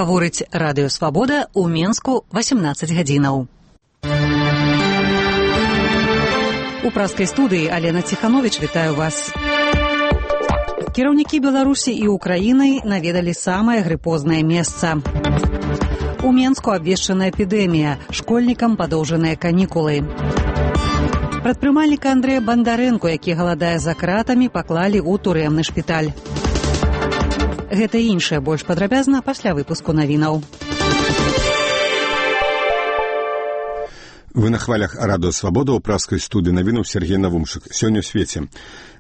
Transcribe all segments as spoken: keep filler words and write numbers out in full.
Гаворыць радыё «Свабода» ў Менску васемнаццаць гадзінаў. У праскай студыі Алена Ціхановіч, вітаю вас. Кіраўнікі Беларусі і Украіны наведалі самае грыпознае месца. У Менску абвешчана эпідэмія, школьнікам падоўжаныя канікулы. Прадпрымальніка Андрэя Бандарэнку, які галадае за кратамі, паклалі ў турэмны шпіталь. Гэта і іншае больш падрабязна пасля выпуску навінаў. Вы на хвалях радыё «Свабода», у праскай студыі навінаў Сергей Навумшык. Сёння ў свеце.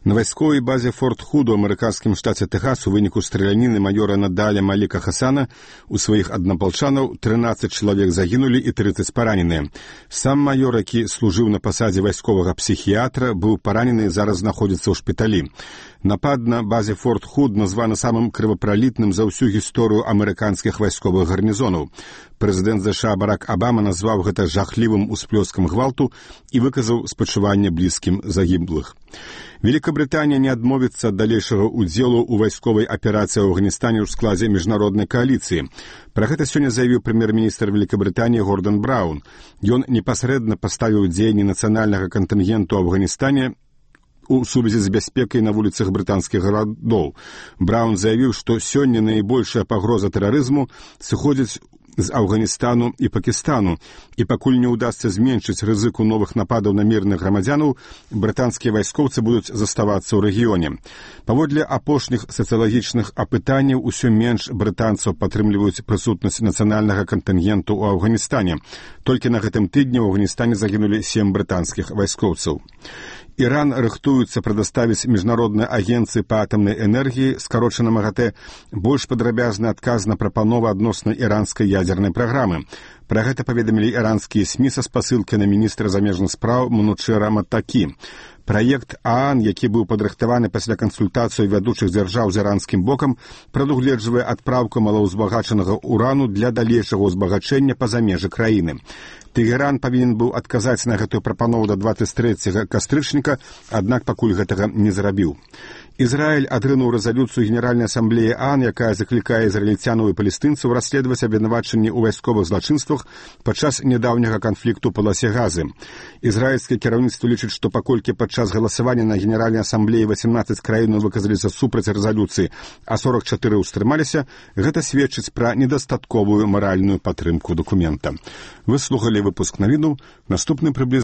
На вайсковай базе Форт Худ у амерыканскім штаце Тэхас у выніку страляніны маёра Надаля Маліка Хасана у сваіх аднапалчанаў трынаццаць чалавек загінулі і трыццаць параненыя. Сам маёр, які служыў на пасадзе вайсковага псіхіятра, быў паранены і зараз знаходзіцца ў шпіталі. Напад на базе Форт Худ названы самым крывапралітным за ўсю гісторыю амерыканскіх вайсковых гарнізонаў. Прэзідэнт ЗША Барак Абама назваў гэта жахлівым усплёскам гвалту і выказаў спачуванне блізкім загіблых. Великабрытанія не адмовіцца ад далейшага ўдзелу ў вайсковай аперацыі ў Афганістане ў складзе міжнароднай кааліцыі. Пра гэта сёння заявіў прэм'ер-міністр Великабрытаніі Гордан Браўн. Ён непасрэдна паставіў дзеянні нацыянальнага кантынгенту ў Афганістане у сувязі з бяспекай на вуліцах брытанскіх гарадоў. Браўн заявіў, што сёння найбольшая пагроза тэрарызму сыходзіць з Афганістану і Пакістану, і пакуль не ўдасца зменшыць рызыку новых нападаў на мірных грамадзянаў, брытанскія вайскоўцы будуць заставацца ў рэгіёне. Паводле апошніх сацыялагічных апытанняў усё менш брытанцаў падтрымліваюць прысутнасць нацыянальнага кантынгенту ў Афганістане. Толькі на гэтым тыдні ў Афганістане загінулі сем брытанскіх вайскоўцаў. Іран рыхтуецца прадаставіць міжнароднай агенцыі па атамнай энергіі, скарочана МАГАТЭ, больш падрабязны адказ на прапановы адносна іранскай ядзернай праграмы. Пра гэта паведамілі іранскія СМІ са спасылкай на міністра замежных спраў Манучэра Маттакі. Праект ААН, які быў падрыхтаваны пасля кансультацыі вядучых дзяржаў з іранскім бокам, прадугледжвае адпраўку малаўзбагачанага урану для далейшага ўзбагачэння па-за межы краіны. Тэгеран павінен быў адказаць на гэтую прапанову да дваццаць трэцяга кастрычніка, аднак пакуль гэтага не зрабіў. Ізраіль адрынуў рэзалюцыю Генеральнай асамблеі ААН, якая заклікае ізраільцянаў і палестынцаў расследаваць абвінавачанні ў вайсковых злачынствах падчас нядаўняга канфлікту ў паласе Газы. Ізраільскае кіраўніцтва лічыць, што паколькі падчас галасавання на Генеральнай асамблеі васемнаццаць краін выказаліся супраць рэзалюцыі, а сорак чатыры ўстрымаліся, гэта сведчыць пра недастатковую маральную падтрымку дакумента. Вы слухалі выпуск навінаў, наступны прыблізна